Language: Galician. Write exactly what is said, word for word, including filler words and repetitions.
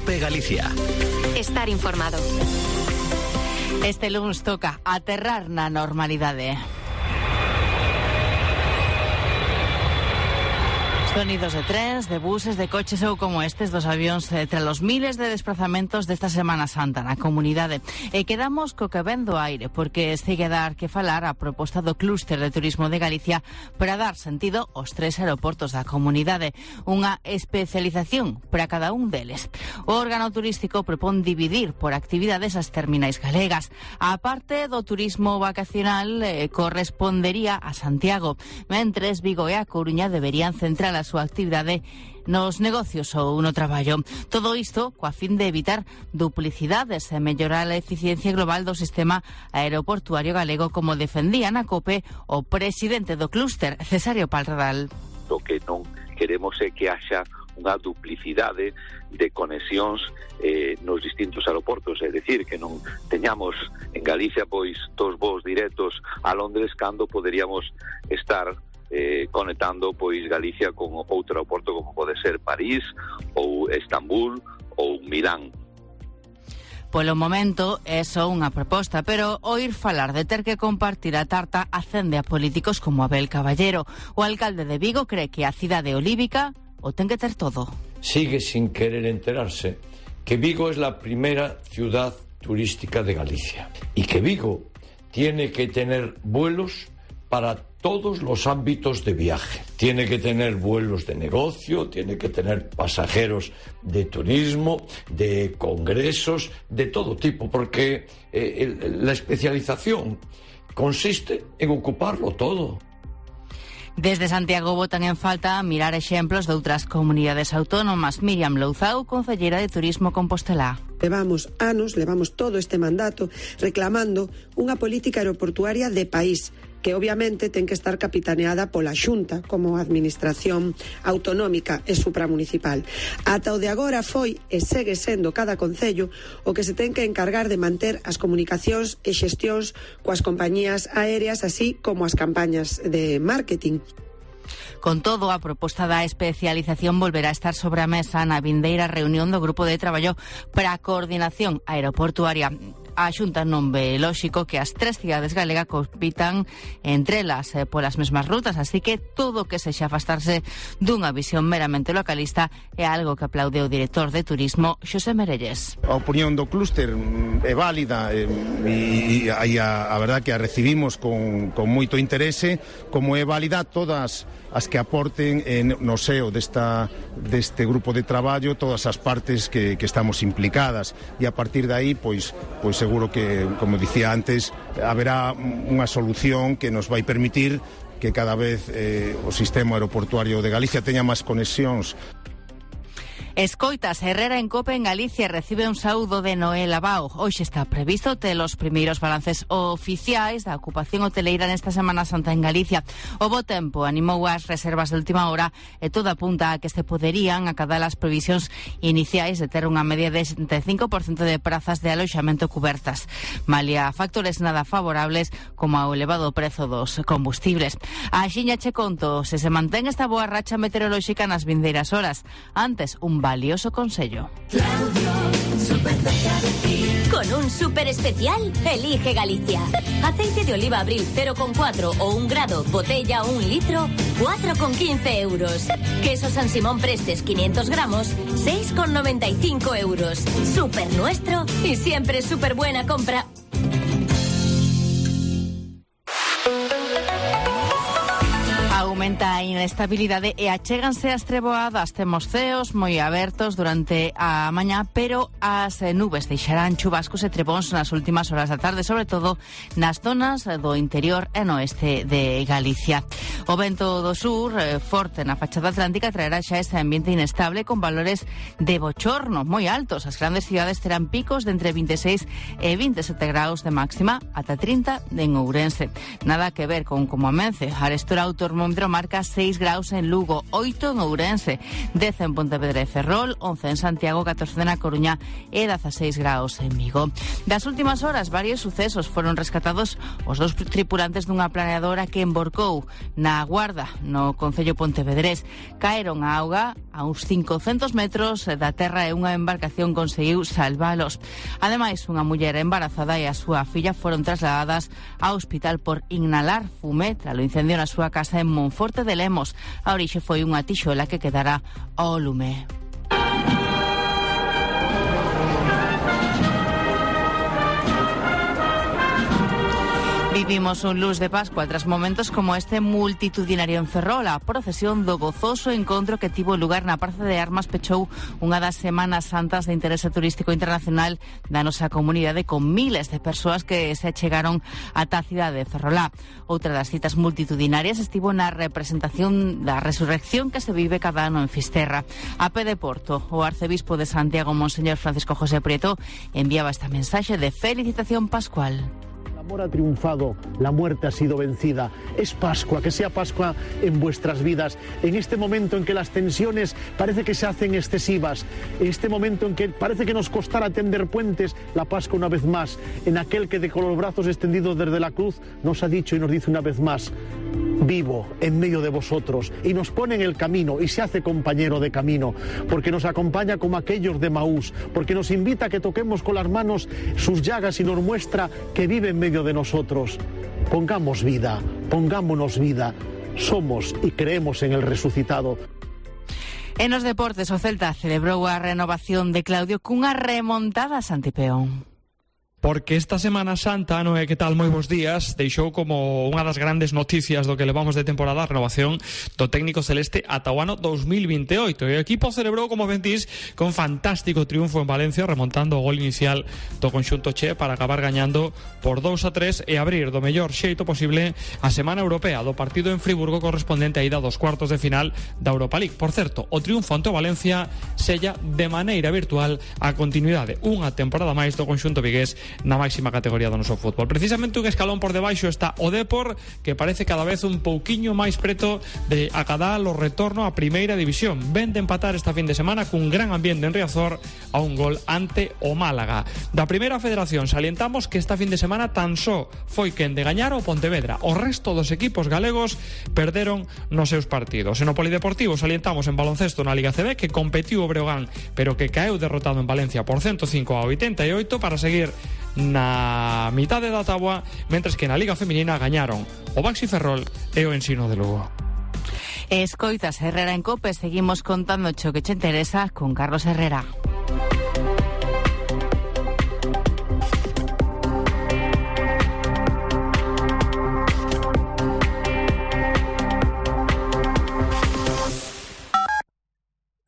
Cope Galicia. Estar informado. Este lunes toca aterrar na normalidade. Sonidos de trens, de buses, de coches ou como estes dos avións eh, tras os miles de desplazamentos desta Semana Santa na comunidade. E quedamos co que ven do aire, porque segue a dar que falar a proposta do Clúster de Turismo de Galicia para dar sentido aos tres aeroportos da comunidade. Unha especialización para cada un deles. O órgano turístico propón dividir por actividades as terminais galegas. A parte do turismo vacacional eh, correspondería a Santiago, mentres Vigo e a Coruña deberían centrar a súa actividade nos negocios ou no traballo. Todo isto coa fin de evitar duplicidades e mellorar a eficiencia global do sistema aeroportuario galego, como defendía na COPE o presidente do clúster, Cesario Palradal. O que non queremos é que haxa unha duplicidade de conexións eh, nos distintos aeroportos, é dicir, que non teñamos en Galicia pois dos voos directos a Londres cando poderíamos estar Eh, conectando pois Galicia con outro aeroporto como pode ser París ou Estambul ou Milán. Polo momento é só unha proposta, pero oír falar de ter que compartir a tarta acende a políticos como Abel Caballero. O alcalde de Vigo cree que a cidade olívica o ten que ter todo. Sigue sin querer enterarse que Vigo es la primera ciudad turística de Galicia y que Vigo tiene que tener vuelos para todos los ámbitos de viaje. Tiene que tener vuelos de negocio, tiene que tener pasajeros de turismo, de congresos, de todo tipo, porque eh, el, la especialización consiste en ocuparlo todo. Desde Santiago botan en falta mirar exemplos de outras comunidades autónomas. Miriam Louzao, concelleira de Turismo Compostelá. Levamos anos, levamos todo este mandato reclamando unha política aeroportuaria de país que obviamente ten que estar capitaneada pola Xunta como administración autonómica e supramunicipal. Ata o de agora foi e segue sendo cada concello o que se ten que encargar de manter as comunicacións e xestións coas compañías aéreas, así como as campañas de marketing. Con todo, a proposta da especialización volverá a estar sobre a mesa na vindeira reunión do Grupo de Traballo para a Coordinación Aeroportuaria. A Xunta non ve lóxico que as tres cidades galegas compitan entre elas eh, polas mesmas rutas, así que todo o que sexa afastarse dunha visión meramente localista é algo que aplaude o director de Turismo, Xosé Merelles. A opinión do clúster é válida e, e, e a, a verdad que a recibimos con, con moito interese, como é válida todas as que aporten en, no seo desta, deste grupo de traballo todas as partes que, que estamos implicadas, e a partir de aí pois, pois seguro que, como dicía antes, haberá unha solución que nos vai permitir que cada vez eh, o sistema aeroportuario de Galicia teña máis conexións. Escoitas, Herrera en Cope en Galicia recibe un saúdo de Noel Abao. Hoxe está previsto ter os primeiros balances oficiais da ocupación hoteleira nesta Semana Santa en Galicia. O bo tempo animou as reservas de última hora e todo apunta a que se poderían acadar as previsións iniciais de ter unha media de setenta e cinco por cento de prazas de aloxamento cubertas. Malia factores nada favorables como o elevado prezo dos combustibles. A xiña che conto se se mantén esta boa racha meteorolóxica nas vindeiras horas. Antes, un valioso consello. Claudio, súper cerca de ti. Con un súper especial, elige Galicia. Aceite de oliva Abril cero coma cuatro o un grado, botella un litro, cuatro coma quince euros. Queso San Simón Prestes quinientos gramos, seis coma noventa y cinco euros. Súper nuestro y siempre súper buena compra. Aumenta a inestabilidade e achéganse as treboadas. Temos ceos moi abertos durante a mañá, pero as nubes deixarán chubascos e trebóns nas últimas horas da tarde, sobre todo nas zonas do interior e no oeste de Galicia. O vento do sur, eh, forte na fachada atlántica, traerá xa este ambiente inestable con valores de bochorno moi altos. As grandes cidades terán picos de entre vinte e seis e vinte e sete graus de máxima ata trinta en Ourense. Nada que ver con como amence. Arestora o termómetro marca seis graus en Lugo, oito en Ourense, dez en Pontevedra e Ferrol, once en Santiago, catorce na Coruña e dezaseis graus en Vigo. Das últimas horas, varios sucesos foron rescatados os dous tripulantes dunha planeadora que emborcou na Guarda, no concello pontevedrés. Caeron á auga a uns cincocentos metros da terra e unha embarcación conseguiu salvalos. Ademais, unha muller embarazada e a súa filla foron trasladadas ao hospital por inhalar fume tras o incendio na súa casa en Monforte de Lemos. A orixe foi unha tixola que quedará ao lume. Vivimos un luz de Pascua tras momentos como este multitudinario en Ferrol. A procesión do gozoso encontro que tivo lugar na Praza de Armas pechou unha das Semanas Santas de interese turístico internacional da nosa comunidade, con miles de persoas que se achegaron ata a cidade de Ferrolá. Outra das citas multitudinarias estivo na representación da resurrección que se vive cada ano en Fisterra. A pé de Porto, o arcebispo de Santiago, Monseñor Francisco José Prieto, enviaba esta mensaxe de felicitación pascual. El amor ha triunfado, la muerte ha sido vencida. Es Pascua, que sea Pascua en vuestras vidas. En este momento en que las tensiones parece que se hacen excesivas, en este momento en que parece que nos costará tender puentes, la Pascua una vez más, en aquel que de con los brazos extendidos desde la cruz nos ha dicho y nos dice una vez más: vivo en medio de vosotros, y nos pone en el camino y se hace compañero de camino, porque nos acompaña como aquellos de Maús, porque nos invita a que toquemos con las manos sus llagas y nos muestra que vive en medio de nosotros. Pongamos vida, pongámonos vida, somos y creemos en el resucitado. En os deportes, o Celta celebrou a renovación de Claudio cunha remontada a Santipeón. Porque esta Semana Santa, Noé, que tal, moi bons días, deixou como unha das grandes noticias do que levamos de temporada a renovación do técnico celeste ata o ano dos mil vinte e oito. E o equipo celebrou, como ventís, con fantástico triunfo en Valencia, remontando o gol inicial do conxunto che para acabar gañando por dous a tres e abrir do mellor xeito posible a Semana Europea do partido en Friburgo correspondente a ida dos cuartos de final da Europa League. Por certo, o triunfo ante o Valencia sella de maneira virtual a continuidade unha temporada máis do conxunto vigués na máxima categoría do noso fútbol. Precisamente un escalón por debaixo está o Depor, que parece cada vez un pouquiño máis preto de acadar o retorno á primeira división. Ven de empatar esta fin de semana cun gran ambiente en Riazor a un gol ante o Málaga. Da primeira federación salientamos que esta fin de semana tan só foi quen de gañar o Pontevedra. O resto dos equipos galegos perderon nos seus partidos. En o Polideportivo salientamos en baloncesto na Liga C B que competiu o Breogán, pero que caeu derrotado en Valencia por ciento cinco a oitenta e oito para seguir na mitade da táboa, mentres que na Liga Feminina gañaron o Baxi Ferrol e o Ensino de Lugo. Escoitas Herrera en Cope, seguimos contando cho que che interesa con Carlos Herrera.